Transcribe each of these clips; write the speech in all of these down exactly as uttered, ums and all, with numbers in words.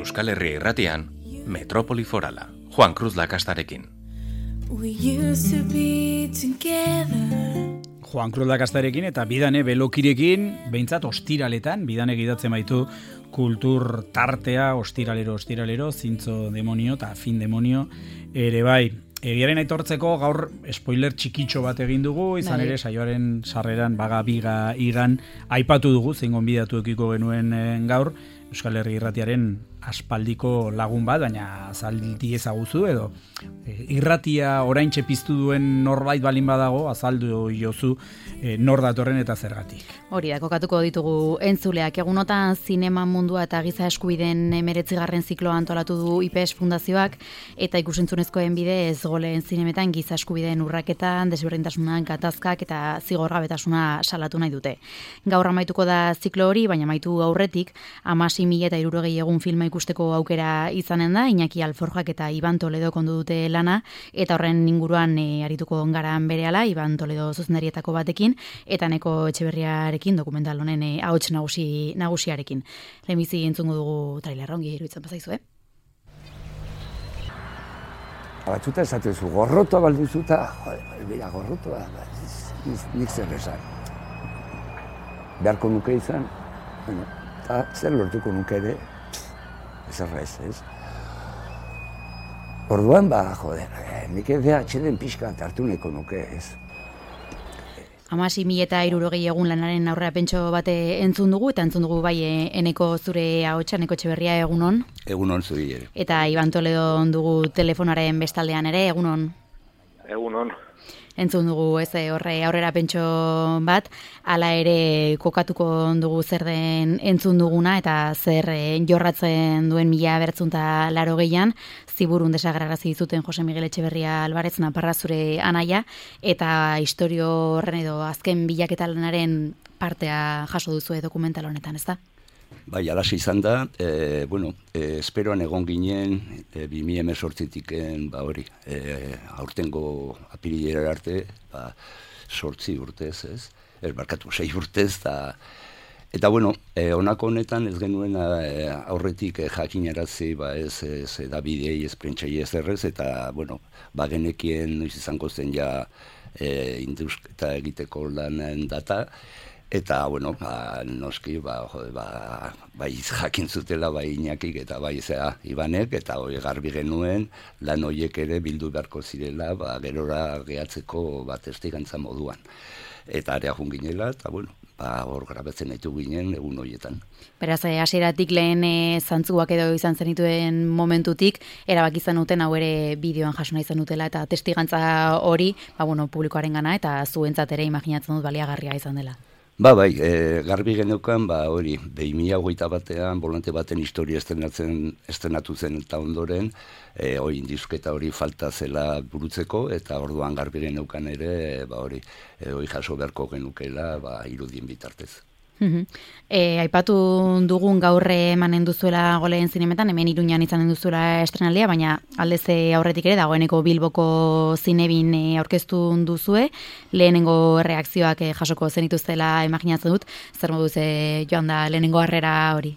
Euskal Herria Irratian, Metropoli Forala, Juan Cruz Lakastarekin. Juan Cruz Lakastarekin eta Bidane Belokirekin, behintzat ostiraletan, Bidane gidatzen baitu kultur tartea, ostiralero, ostiralero, zintzo demonio eta fin demonio, ere bai. Egiaren aitortzeko gaur spoiler txikitxo bat egin dugu, izan ere saioaren sarreran baga biga igan aipatu dugu, zein gonbidatu ekiko genuen gaur, Euskal Herri Irratiaren aspaldiko lagun bat, baina azaldi ezaguzu edo e, irratia oraintxe piztu duen norbait balin badago, azaldu jozu e, nor datorren eta zergatik. Hori da, kokatuko ditugu entzuleak. Egunotan zinema mundua eta giza eskubideen emeretzigarren zikloa antolatu du I P E S Fundazioak eta ikusentzunezkoen bidez goleen zinemetan giza eskubideen urraketan, desberdintasunak, gatazkak eta zigorgabetasuna salatu nahi dute. Gaur amaituko da ziklo hori, baina amaitu aurretik, hamasei mila eta hirurogei egun filma ikusteko aukera izanen da, Iñaki Alforjak eta Iban Toledo kondu dute lana, eta horren inguruan e, arituko ongaran berehala, Iban Toledo zuzendarietako batekin, eta Neko Etxeberriarekin, dokumental honen e, ahots nagusi, nagusiarekin. Lehenbizi entzungo dugu trailerra, ongi iruditzen bazaizu, eh? Batzuta esatezu, gorrotoa balduzuta, joder, bera, gorrotoa, nik zer esan. Beharko nuke izan, bueno, eta zer lortuko nuke ere, ez errez, ez? Orduan, ba, joder, nik ere atxeden pixka hartu nahiko nuke, ez? Hamasei mila eta hirurogei egun lanaren aurrera pentso bate entzun dugu, eta entzun dugu bai Eneko zure ahotsa, Eneko Etxeberria, egunon. Egunon zuri ere. Eta Iban Toledo dugu telefonaren bestaldean ere, egunon. Egunon. Entzun dugu ez horre aurrera pentso bat, hala ere kokatuko dugu zer den entzun duguna eta zer jorratzen duen mila bertzunta laro gehian, ziburun desagrarazi dizuten Jose Miguel Etxeberria Alvarez Naparra zure anaia, eta istorio horren edo azken bilaketa lanaren partea jaso duzu dokumental honetan, ez da? Bai, alasi izan da, e, bueno, e, esperoan egon ginen, e, bi mila hemezortzitik ba hori, e, aurtengo apirilera arte, ba, sortzi urtez, ez? Ez barkatu, sei urtez, eta, eta bueno, e, honako honetan ez genuen e, aurretik e, jakinarazi, ba ez, ez edabidei, ez prentsai ez errez, eta, bueno, ba genekien noiz izango zen ja e, indusketa egiteko lanen data, eta, bueno, ba, noski, ba, jode, ba, bai jakin zutela, bai Iñakik eta bai zea Ibanek, eta hori garbi genuen, lan horiek ere bildu beharko zirela, ba, gerora gehatzeko bat testigantza moduan. Eta area jun ginela, eta, bueno, ba, hor grabatzen ditu ginen egun horietan. Beraz, hasieratik lehen e, zantzuak edo izan zenituen momentutik, erabaki izan duten hau ere bideoan jasona izan dutela, eta testigantza hori, ba, bueno, publikoaren gana, eta zuentzat ere imaginatzen dut baliagarria izan dela. Ba, bai, e, garbi geneukan, ba, hori, behi mila hogeita batean, bolante baten historia estrenatzen, estrenatu zen eta ondoren, e, hori, indisketa hori falta zela burutzeko, eta orduan garbi geneukan ere, ba, hori, e, hori jaso beharko genukela, ba, irudien bitartez. Uh-huh. E, aipatu dugun gaur emanen duzuela goleen zinemetan, hemen Iruñan izanen duzuela estrenaldia, baina aldez aurretik ere dagoeneko Bilboko zinebin e, aurkeztu duzue, lehenengo reakzioak e, jasoko zenituztela imaginatzen dut, zer moduz e, joan da lehenengo harrera hori?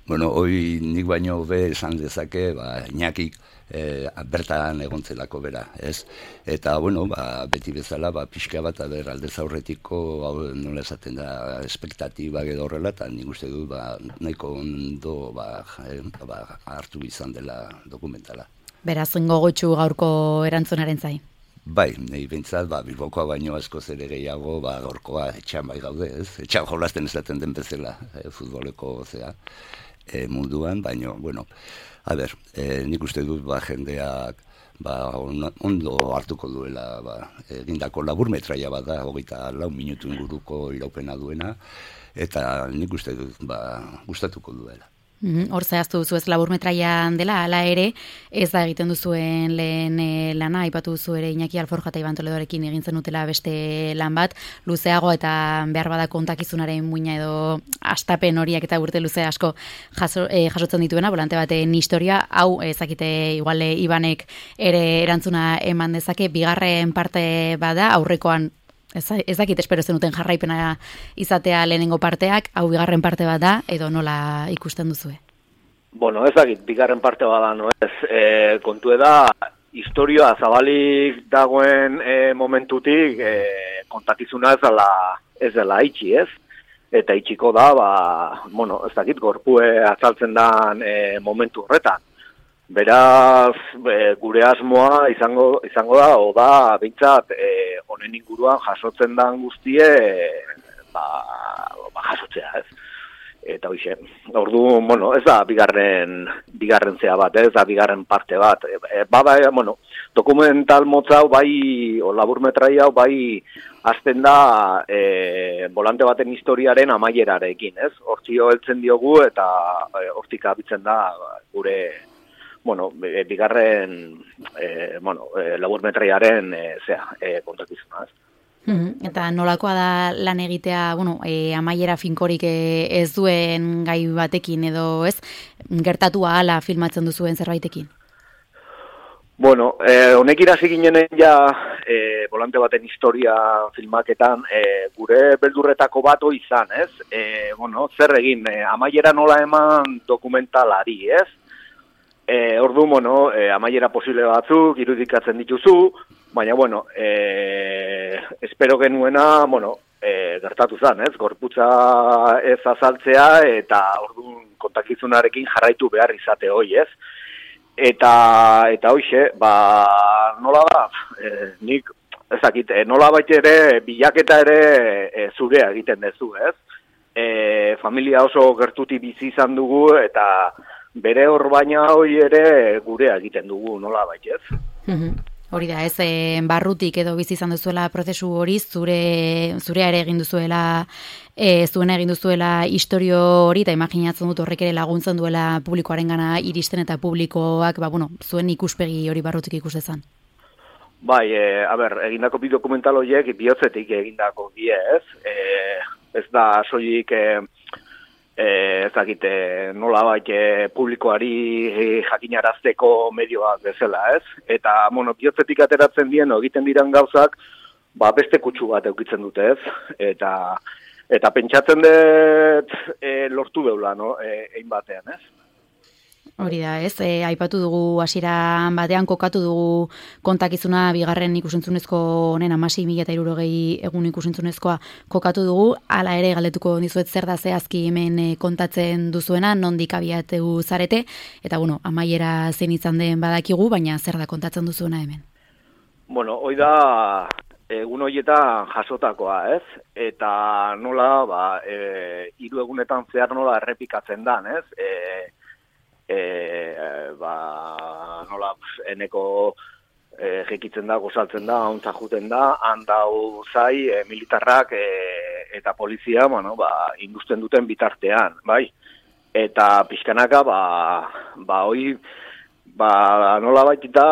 Bueno, hoi nik baino be esan dezake, ba, Iñakik E, bertan egontzelako bera, ez? Eta, bueno, ba, beti bezala, ba, pixka bat, aber, aldez aurretiko, hau, nola esaten da, espektatiba edo horrela, eta nik uste dut, ba, nahiko ondo, ba, eh, ba, hartu izan dela dokumentala. Beraz, gogotsu gaurko erantzunaren zai? Bai, nahi bintzat, ba, Bilbokoa baino askoz ere gehiago, ba, gaurkoa etxan bai gaude, ez? Etxan jolazten esaten den bezala, e, futboleko zea, e, munduan, baino, bueno, a ber, e, nik uste dut, ba, jendeak, ba, on, ondo hartuko duela, ba, egindako laburmetraia bada, hogeita lau minutu inguruko iraupena duena, eta nik uste dut, ba, gustatuko duela. Hor zehaztu duzu ez laburmetraian dela, hala ere, ez da egiten duzuen lehen e, lana, aipatu duzu ere Iñaki Alforja eta Iban Toledorekin egin zenutela beste lan bat, luzeago eta behar bada kontakizunaren muina edo astapen horiak eta urte luze asko jaso, e, jasotzen dituena, volante baten historia, hau ezakite igual Ibanek ere erantzuna eman dezake, bigarren parte bada, aurrekoan Ez, ez dakit espero zenuten jarraipena izatea lehenengo parteak, hau bigarren parte bat da, edo nola ikusten duzue? Bueno, ez dakit, bigarren parte bada, no ez, e, kontu da, historioa zabalik dagoen e, momentutik e, kontakizuna ez dela, ez dela itxi, ez? Eta itxiko da, ba, bueno, ez dakit, gorpue azaltzen dan e, momentu horretan. Beraz, e, gure asmoa izango, izango da, o da, bintzat, e, honen inguruan jasotzen dan guztie, e, ba, ba, jasotzea, ez? Eta hoxe, ordu, bueno, ez da bigarren, bigarren zea bat, ez da bigarren parte bat. E, bada, bueno, dokumental motza hau bai, o laburmetrai hau bai, azten da e, volante baten historiaren amaierarekin, ez? Hortzio heltzen diogu eta e, hortik abitzen da gure, bueno, e, bigarren, e, bueno, e, laburmetraiaren e, zea, e, kontakizuna, ez? Eta nolakoa da lan egitea, bueno, e, amaiera finkorik e, ez duen gai batekin edo, ez? Gertatua hala filmatzen duzuen zerbaitekin? Bueno, eh, honek irasi ginenen ja eh, volante baten historia filmaketan eh, gure beldurretako bato izan, ez? Eh, bueno, zer egin, eh, amaiera nola eman dokumentalari, ez? Eh, ordu, bueno, eh, amaiera posible batzuk irudikatzen dituzu, baina, bueno, eh, espero genuena, bueno, eh, gertatu zen, ez? Gorputza ez azaltzea eta ordu kontakizunarekin jarraitu behar izate hoi, ez? Eta, eta hoxe, ba, nola da, e, nik, ezakit, e, nola baita ere, bilaketa ere e, zurea egiten dezu, ez? E, familia oso gertuti bizi izan dugu, eta bere hor baina hoi ere gurea egiten dugu, nola baita, ez? Hori da, ez, e, barrutik edo bizi izan duzuela prozesu hori, zure, zurea ere egin duzuela, e, zuena egin duzuela historio hori, eta imaginatzen dut horrek ere laguntzen duela publikoaren gana iristen eta publikoak, ba, bueno, zuen ikuspegi hori barrutik ikustezan. Bai, e, a ber, egindako bi dokumental horiek bihotzetik egindako die, ez? E, ez da soilik... E, E, ez dakite, nola bait e, publikoari e, jakinarazteko medioak bezala, ez? Eta, bueno, bihotzetik ateratzen dien, egiten diran gauzak, ba, beste kutsu bat eukitzen dute, ez? Eta, eta pentsatzen dut e, lortu deula, no? E, egin batean, ez? Hori da, ez? E, aipatu dugu hasieran batean kokatu dugu kontakizuna bigarren ikusentzunezko honen hamasei mila eta hirurogei egun ikusentzunezkoa kokatu dugu, hala ere galdetuko dizuet zer da zehazki hemen e, kontatzen duzuena, nondik abiatu zarete, eta bueno, amaiera zein izan den badakigu, baina zer da kontatzen duzuena hemen? Bueno, hoi da egun horietan jasotakoa, ez? Eta nola, ba, e, hiru egunetan zehar nola errepikatzen dan, ez? E, E, ba, nola, eneko e, jekitzen da, gozaltzen da, hauntza juten da, handau zai, e, militarrak e, eta polizia, bueno, ba, industen duten bitartean, bai? Eta pixkanaka, ba, ba, hoi, ba, nola baitita,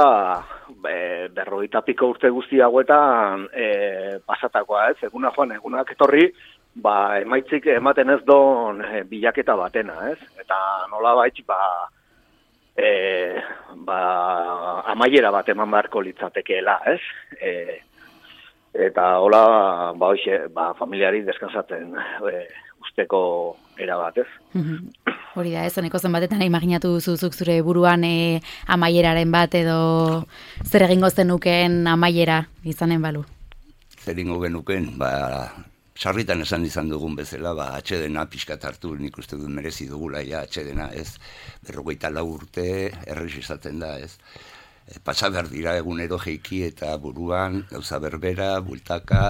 e, berrogeita piko urte guzti hauetan e, pasatakoa, ez? Eguna joan, egunak etorri, ba, emaitzik ematen ez don e, bilaketa batena, ez? Eta nola baitz, ba, e, ba, amaiera bat eman beharko litzatekeela, ez? E, eta hola, ba, hoxe, ba, familiari deskansatzen e, usteko era bat, ez? Hori da, ez, honeko zen batetan imaginatu duzuzuk zure buruan e, amaieraren bat edo zer egingo zenuken amaiera izanen balu? Zer egingo genuken, ba, sarritan esan izan dugun bezala, ba, atxedena pixkat hartu, nik uste dut merezi dugula, ja, atxedena, ez, berrogeita lau urte, errez izaten da, ez. E, pasa behar dira egunero jeiki eta buruan, gauza berbera, bultaka,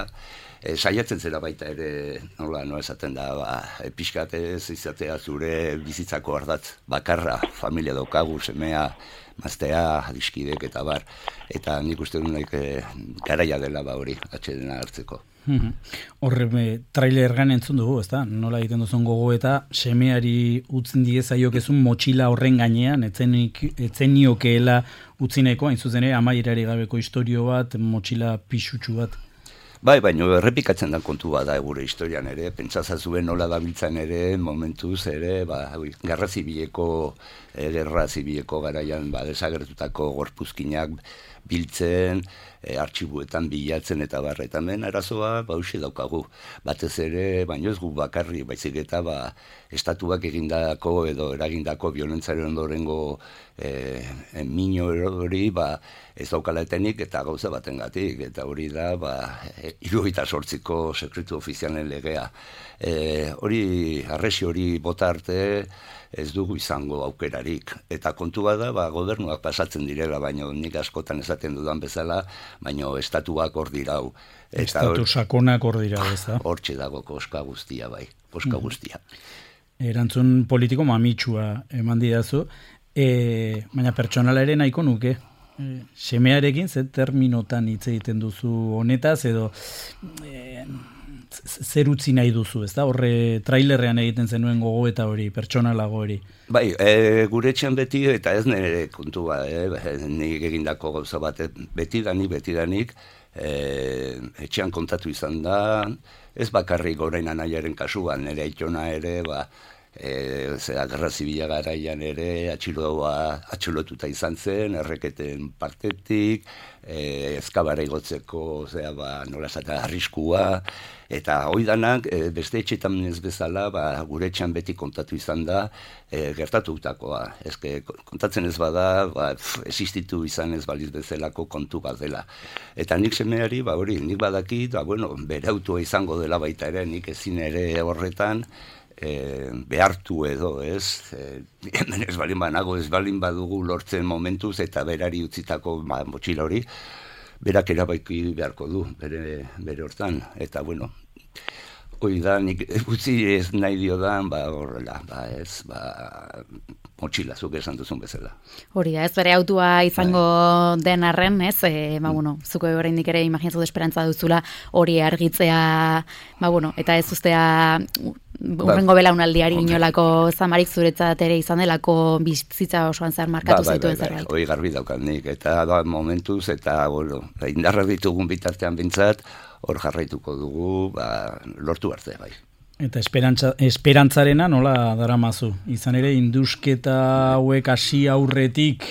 e, saiatzen zera baita ere, nola, no esaten da, ba, e, pixkat ez izatea zure bizitzako ardatz, bakarra, familia daukagu, semea, maztea, adiskidek eta bar, eta nik uste dut e, garaia dela ba hori, atxedena hartzeko. Horre, trailer gan entzun dugu, ezta? Nola egiten duzun gogo eta semeari utzen diezaiokezun motxila horren gainean, etzeniokeela utzineko, hain zuzen ere, amaierari gabeko historio bat, motxila pixutxu bat. Bai, baina errepikatzen da kontu bada gure historian ere, pentsazazuen nola dabiltzan ere, momentuz ere, ba, gerra zibileko, gerra zibileko garaian, ba, desagertutako gorpuzkinak, biltzen, e, artxibuetan bilatzen eta bar, eta hemen arazoa bausi daukagu. Batez ere, baino ez gu bakarri, baizik eta ba, estatuak egindako edo eragindako violentzaren ondorengo e, e, mino hori ba, ez daukala etenik eta gauza batengatik, eta hori da ba, e, hirurogeita zortziko sekretu ofizialen legea. E, hori, arresi hori bota arte, ez dugu izango aukerarik. Eta kontua da, ba, gobernuak pasatzen direla, baina nik askotan esaten dudan bezala, baina estatuak hor dirau. Estatu sakonak hor dirau, ez da? Hortxe dago koska guztia, bai, koska guztia. Erantzun politiko mamitsua eman didazu, e, baina pertsonala ere nahiko nuke. E, semearekin ze terminotan hitz egiten duzu honetaz, edo e, zer utzi nahi duzu, ez da? Horre trailerrean egiten zenuen gogo eta hori, pertsonalago hori. Bai, e, gure etxean beti, eta ez nire kontua, e, nik egindako gauza bat, betidanik, betidanik, e, etxean kontatu izan da, ez bakarrik orain anaiaren kasuan, nire aitona ere, ba, e, zera, gerra zibila garaian ere, atxiloa, atxilotuta izan zen, erreketen partetik, e, ezkabara igotzeko, zera, ba, nola esata, arriskua, eta hoi danak, e, beste etxetan ez bezala, ba, gure etxean beti kontatu izan da, e, gertatutakoa. Ezke, kontatzen ez bada, ba, pf, existitu izan ez baliz bezalako kontu bat dela. Eta nik semeari, ba, hori, nik badakit, ba, bueno, bere autua izango dela baita ere, nik ezin ere horretan, E, behartu edo, ez? E, hemen ez balin banago, ez balin badugu lortzen momentuz eta berari utzitako ba, motxila hori, berak erabaiki beharko du, bere, bere hortan. Eta, bueno, hoi da, nik utzi ez nahi diodan, ba, horrela, ba, ez, ba, motxila, zuk esan duzun bezala. Hori da, ez bere autua izango bai. Den arren, ez, e, ba, bueno, zuko oraindik ere imaginatzen dut esperantza duzula hori argitzea, ba, bueno, eta ez ustea urrengo ba, belaunaldiari inolako zamarik zuretzat ere izan delako bizitza osoan zer markatu ba, zaituen zerbait. Hoi garbi daukat nik, eta da momentuz, eta bueno, indarra ditugun bitartean bintzat, hor jarraituko dugu, ba, lortu arte, bai. Eta esperantza, esperantzarena nola daramazu? Izan ere, indusketa hauek hasi aurretik,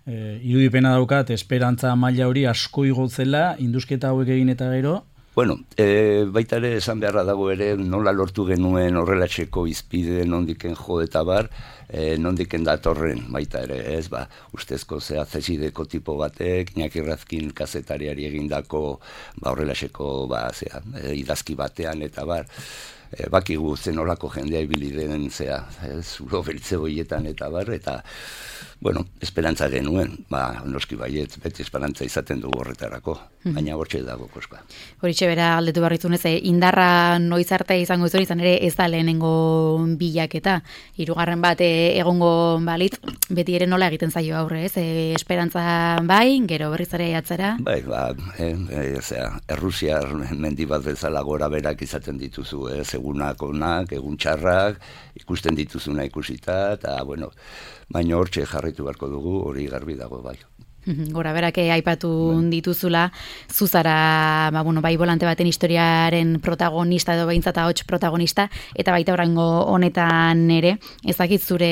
e, irudipena daukat, esperantza maila hori asko igotzela, indusketa hauek egin eta gero, Bueno, e, baita ere esan beharra dago ere nola lortu genuen horrelatxeko izpide nondiken jo eta bar, e, nondiken datorren baita ere, ez, ba, ustezko zea zesideko tipo batek, Iñaki Razkin kazetariari egindako ba, horrelatxeko ba, zea, e, idazki batean eta bar, e, bakigu zenolako jendea ibili den zea, zulo beltze boietan eta bar, eta bueno, esperantza genuen, ba, noski baiet, beti esperantza izaten dugu horretarako, baina hortxe dago koska. Horitxe bera aldetu barritzunez, indarra noiz arte izango izan, izan ere ez da lehenengo bilaketa. Hirugarren bat egongo balit, beti ere nola egiten zaio aurre, ez? E, esperantza bai, gero berriz ere atzera? Bai, ba, e, e, zera, Errusiar mendi bat bezala gora berak izaten dituzu, ez? Egunak onak, egun txarrak, ikusten dituzuna ikusita, eta, bueno, baina hortxe jarraitu beharko dugu, hori garbi dago bai. Gora berake aipatu bai. Dituzula, zuzara, ba, bueno, bai volante baten historiaren protagonista edo behintzat ahots protagonista, eta baita oraingo honetan ere, ezakit zure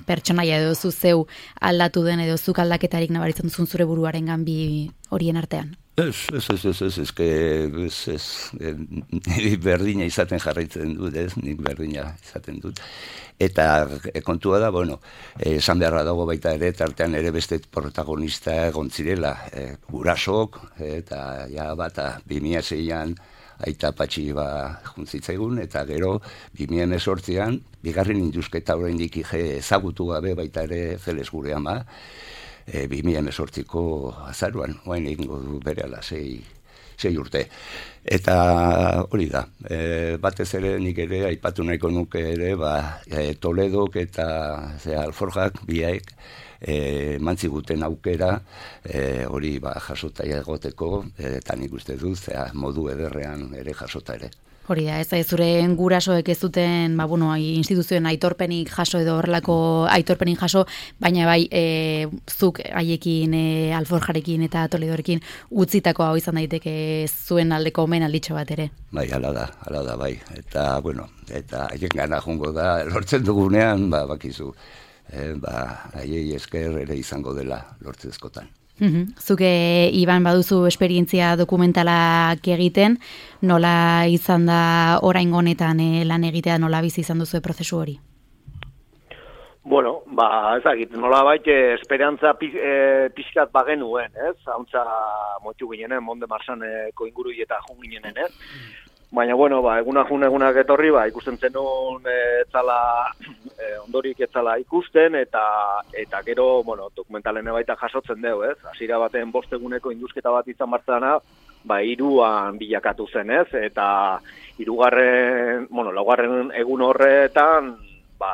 pertsonaia edo zu zeu aldatu den edo zuk aldaketarik nabaritzen duzun zure buruaren ganbi horien artean. Ez, ez, ez, ez, ez, ez, ez, ez, ez, berdina izaten jarraitzen dut, ez, nik berdina izaten dut. Eta kontua da, bueno, esan beharra dago baita ere, tartean ere beste protagonista egon zirela, e, gurasok, eta ja bata, bi mila seian aita patxi ba juntzitzaigun, eta gero, bi mila hemezortzian, bigarren indusketa oraindik ezagutu gabe baita ere Feles gure ama, e, bi mila hemezortziko azaruan, oain egingo du bere ala sei, sei urte. Eta hori da, e, batez ere nik ere aipatu nahiko nuke ere, ba, e, Toledok eta ze, Alforjak biaek e, mantziguten aukera e, hori ba, jasota egoteko, e, eta nik uste dut, zera, modu ederrean ere jasota ere. Hori da, ez da, zure gurasoek ez duten, ba, bueno, instituzioen aitorpenik jaso edo horrelako aitorpenik jaso, baina bai, e, zuk haiekin, e, Alforjarekin eta Toledorekin utzitako hau izan daiteke zuen aldeko omen alditxo bat ere. Bai, hala da, hala da, bai. Eta, bueno, eta haien gana jongo da, lortzen dugunean, ba, bakizu, e, ba, haiei esker ere izango dela lortzezkotan. Zuke, Iban, baduzu esperientzia dokumentalak egiten, nola izan da oraingo honetan eh, lan egitea, nola bizi izan duzu prozesu hori? Bueno, ba, ezagit, nola baite esperantza e, pixkat bagenuen, ez? Hauntza motxu ginenen, Monde Marsaneko ingurui eta jun ginenen, ez? Baina, bueno, ba, eguna jun egunak etorri, ba, ikusten zenun e, etzala, e, ondorik etzala ikusten, eta eta gero, bueno, dokumentalen baita jasotzen dugu, ez? Hasiera baten bost eguneko indusketa bat izan martzana, ba, hiruan bilakatu zen, ez? Eta hirugarren, bueno, laugarren egun horretan, ba,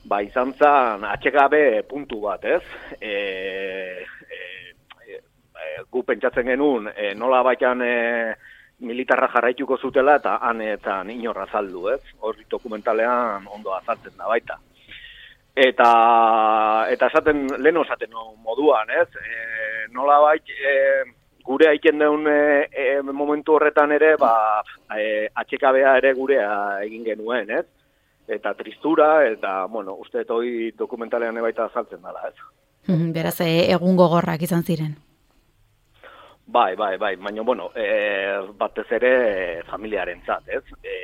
ba, izan zen atxegabe puntu bat, ez? E, e, e, gu pentsatzen genuen, e, nola baitan e, militarra jarraituko zutela eta hanetan inorra azaldu, ez? Horri dokumentalean ondo azaltzen da baita. Eta, eta esaten, lehen osaten moduan, ez? E, nola bait, e, gure aiken deun e, e, momentu horretan ere, ba, e, atxekabea ere gurea egin genuen, ez? Eta tristura, eta, bueno, uste hori dokumentalean baita azaltzen dela, ez? Beraz, egun gogorrak izan ziren. Bai, bai, bai, baina, bueno, e, batez ere familiarentzat, ez? E,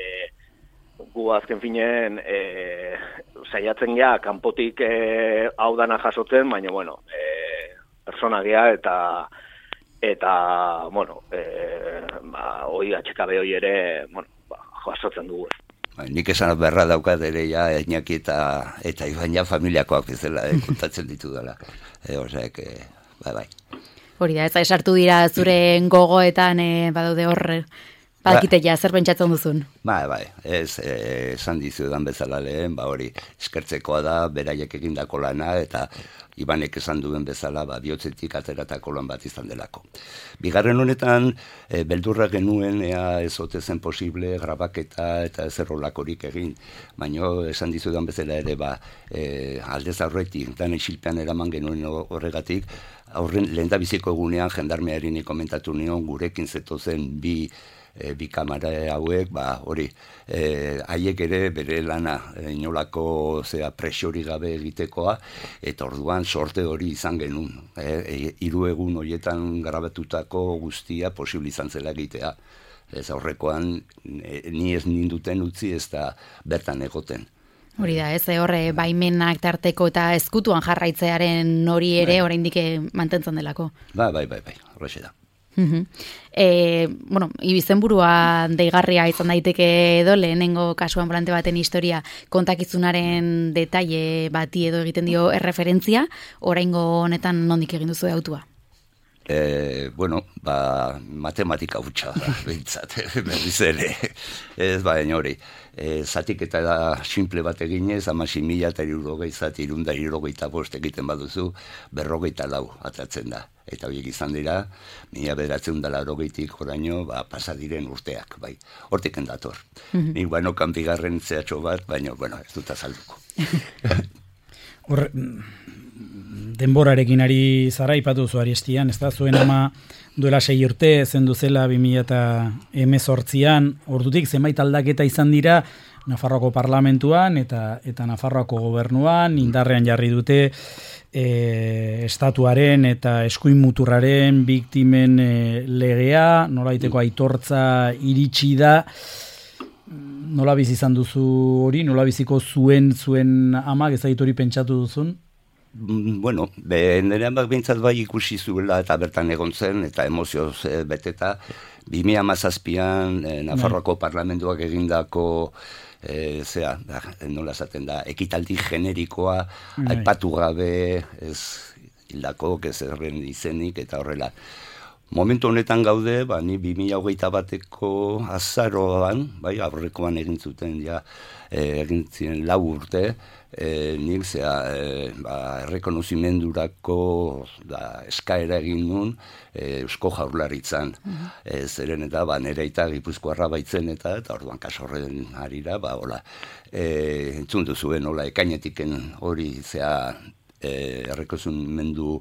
gu azken finen e, saiatzen gea, kanpotik e, hau dana jasotzen, baina, bueno, e, persona gea eta, eta, bueno, e, ba, hoi atxekabe hoi ere, bueno, ba, jasotzen dugu, ez? Nik esan berra daukat ere ja, Iñaki eta, eta Iban ja familiakoak bezala eh, kontatzen ditu dela. E, Oseak, e, bai, bai. Hori da, ez esartu dira zure gogoetan e, badaude horre, badakite ja, zer pentsatzen duzun? Bai, bai, ez, e, esan dizudan bezala lehen, ba hori, eskertzekoa da, beraiek egindako lana, eta Ibanek esan duen bezala, ba, bihotzetik ateratako lan bat izan delako. Bigarren honetan, e, beldurra genuen, ea ez ote zen posible, grabaketa eta ezer holakorik egin, baina esan dizudan bezala ere, ba, e, aldez aurretik, dan isilpean eraman genuen horregatik, aurren lehendabiziko egunean jendarmearini komentatu nion gurekin zetozen bi e, bi kamara hauek, ba hori, e, haiek ere bere lana e, inolako zea presori gabe egitekoa, eta orduan sorte hori izan genuen. E, hiru egun horietan grabatutako guztia posible izan zela egitea. Ez aurrekoan e, ni ez ninduten utzi ez da bertan egoten. Hori da, ez horre baimenak tarteko eta ezkutuan jarraitzearen hori ere bai. Oraindik mantentzen delako. Bai, bai, bai, bai, horrexe da. Uh-huh. E, bueno, izenburua deigarria izan daiteke edo, lehenengo kasuan volante baten historia kontakizunaren detaile bati edo egiten dio erreferentzia, oraingo honetan nondik egin duzu autua? E, bueno, ba, matematika hutsa da, behintzat, berriz ere, ez baina hori. E, zatik eta da simple bat eginez, amasi mila eta irurogei zati, irunda irurogeita bost egiten baduzu, berrogeita lau atatzen da. Eta horiek izan dira, mila beratzen dela rogeitik oraino, ba, pasadiren urteak, bai. Hortik endator. Mm-hmm. Nik baino kanbigarren zehatxo bat, baina, bueno, ez dut azalduko. Hor, denborarekin ari zara ipatu zu Ariestian, ez da, zuen ama duela sei urte zendu zela bi mila hemezortzian, ordutik zenbait aldaketa izan dira Nafarroako parlamentuan eta eta Nafarroako gobernuan, indarrean jarri dute e, estatuaren eta eskuin muturraren biktimen e, legea, nolaiteko aitortza iritsi da. Nola bizi izan duzu hori, nola biziko zuen zuen amak ezait hori pentsatu duzun? Bueno, nerean bak behintzat bai ikusi zuela eta bertan egon zen, eta emozioz e, beteta, bi mila hamazazpian e, Nafarroako parlamentuak egindako e, zera, da, nola esaten da, ekitaldi generikoa, Nei. aipatu gabe, ez hildako, ez erren izenik, eta horrela. Momentu honetan gaude, ba, ni bi mila hogeita bateko azaroan, bai, aurrekoan egin zuten, ja, e, egin ziren lau urte, e, nik zea, e, ba, errekonozimendurako da, eskaera egin nun, e, Eusko Jaurlaritzan. Uh-huh. e, zeren eta, ba, nire eta Gipuzkoarra baitzen eta, eta orduan kasorren harira, ba, hola, e, entzun duzuen, hola, ekainetiken hori, zea, e, errekonozimendu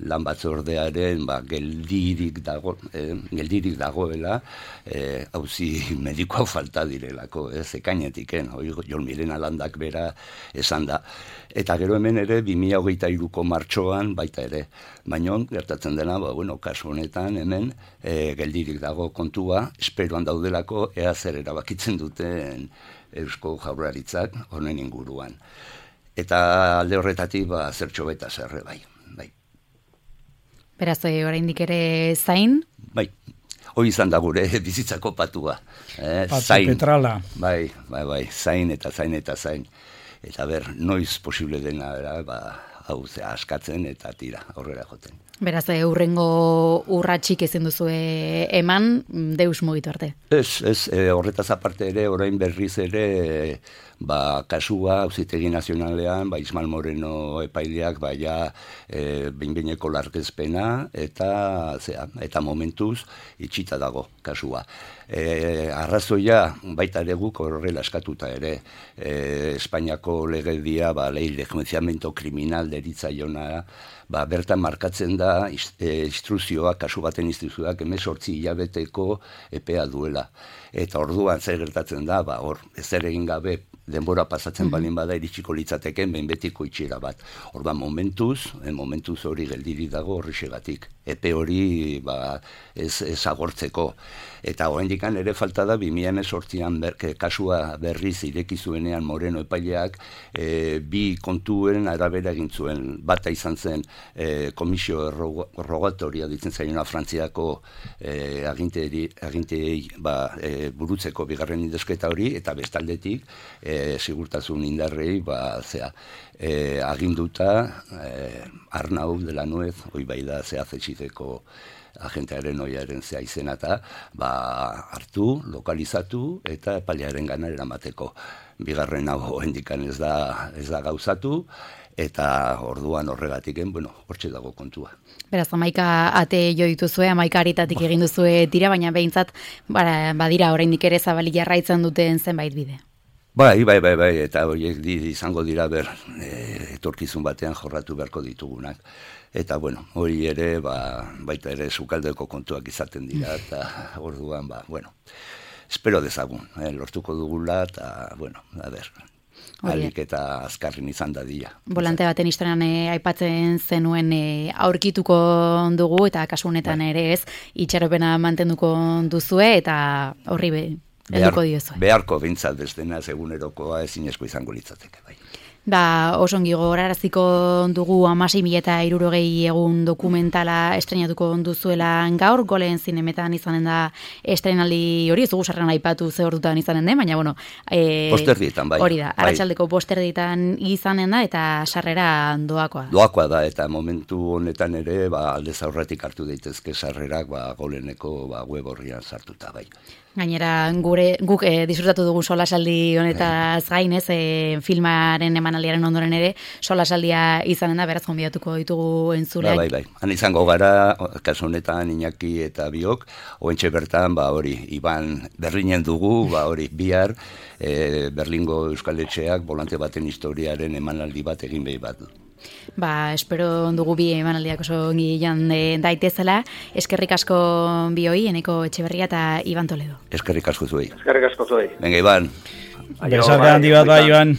lan batzordearen ba, geldirik dago, e, geldirik dagoela, e, auzi medikoa falta direlako, ez, ekainetiken, hori Jon Milena Landak bera esan da. Eta gero hemen ere, bi mila hogeita hiruko martxoan baita ere. Baina, gertatzen dena, ba, bueno, kasu honetan hemen, e, geldirik dago kontua, esperoan daudelako, ea zer erabakitzen duten Eusko Jaurlaritzak honen inguruan. Eta alde horretatik, ba, zertxo beta zerre, bai. bai. Beraz, oraindik ere zain? Bai. Hoi izan da gure bizitzako patua. Eh, Patzu zain. petrala. Bai, bai, bai, zain eta zain eta zain. Eta ber, noiz posible dena, ba, hau ze askatzen eta tira, aurrera joten. Beraz, urrengo urratxik ezin duzu eman, deus mugitu arte. Ez, ez, e, horretaz aparte ere, orain berriz ere, e, ba, kasua, Auzitegi Nazionalean, ba, Ismael Moreno epaileak, ba, ja, e, behin-behineko larkezpena, eta, zera, eta momentuz, itxita dago kasua. E, arrazoia, baita ere guk horrela eskatuta ere, e, Espainiako legedia, ba, lei de enjuiciamiento criminal deritzaiona, ba, bertan markatzen da instruzioa, kasu baten instruzioak hemezortzi hilabeteko epea duela. Eta orduan zer gertatzen da, ba, hor, ezer egin gabe denbora pasatzen balin bada iritsiko litzateken behin betiko itxiera bat. Orduan momentuz, momentuz hori geldiri dago horrexegatik. Epe hori ba, ez, ez agortzeko. Eta oraindikan ere falta da, bi mila hemezortzian ber, kasua berriz ireki zuenean Moreno epaileak, e, bi kontuen arabera egin zuen. Bata izan zen e, komisio rogatoria ditzen zaiona Frantziako e, agintei, agintei ba, e, burutzeko bigarren indesketa hori, eta bestaldetik e, segurtasun indarrei ba, zea, e, aginduta e, Arnau de la Nuez, hoi bai da zehazetxiteko agentearen oiaren zea izena eta ba, hartu, lokalizatu eta epailearen gana eramateko. Bigarren hau hendikan ez da, ez da gauzatu, eta orduan horregatiken, bueno, hortxe dago kontua. Beraz, amaika ate jo dituzue, amaika haritatik egin duzue tira, baina behintzat, bara, badira oraindik ere zabalik jarraitzen duten zenbait bide. Bai, bai, bai, bai, eta horiek izango dira ber, e, etorkizun batean jorratu beharko ditugunak. Eta, bueno, hori ere, ba, baita ere sukaldeko kontuak izaten dira, eta orduan, ba, bueno, espero dezagun, eh, lortuko dugula, eta, bueno, a ber, alik eta azkarrin izan da dira. Volante baten historian e, aipatzen zenuen e, aurkituko dugu, eta kasu honetan bai. Ere ez, itxaropena mantenduko duzue, eta horri be, helduko diozue. Beharko bintzat bestena, egunerokoa ezinezko izango litzateke, bai. Ba, oso ongi gogoraraziko dugu hamasei mila eta hirurogei egun dokumentala estrenatuko duzuela gaur, Golen zinemetan izanen da estrenaldi hori, ez dugu sarrean aipatu ze ordutan izanen den, baina, bueno... E, posterdietan, bai. Hori da, bai. arratsaldeko posterdietan izanen da, eta sarrera doakoa. Doakoa da, eta momentu honetan ere, ba, aldez aurretik hartu daitezke sarrerak, ba, Goleneko ba, web horrian sartuta, bai. Gainera, gure, guk e, disfrutatu dugu solasaldi honetaz gain, ez, e, filmaren emanaldiaren ondoren ere, solasaldia izanen da, beraz gonbidatuko ditugu entzuleak. Bai, bai, bai. Han izango gara, kasu honetan Iñaki eta biok, oentxe bertan, ba hori, Iban Berlinen dugu, ba hori, bihar, e, Berlingo Euskal Etxeak volante baten historiaren emanaldi bat egin behi bat du. Ba, espero dugu bi emanaldiak oso ongi jan daitezela. Eskerrik asko bioi, Eneko Etxeberria eta Iban Toledo. Eskerrik asko zuei. Eskerrik asko zuei. Venga, Iban. Besarte handi bat, bai, Iban.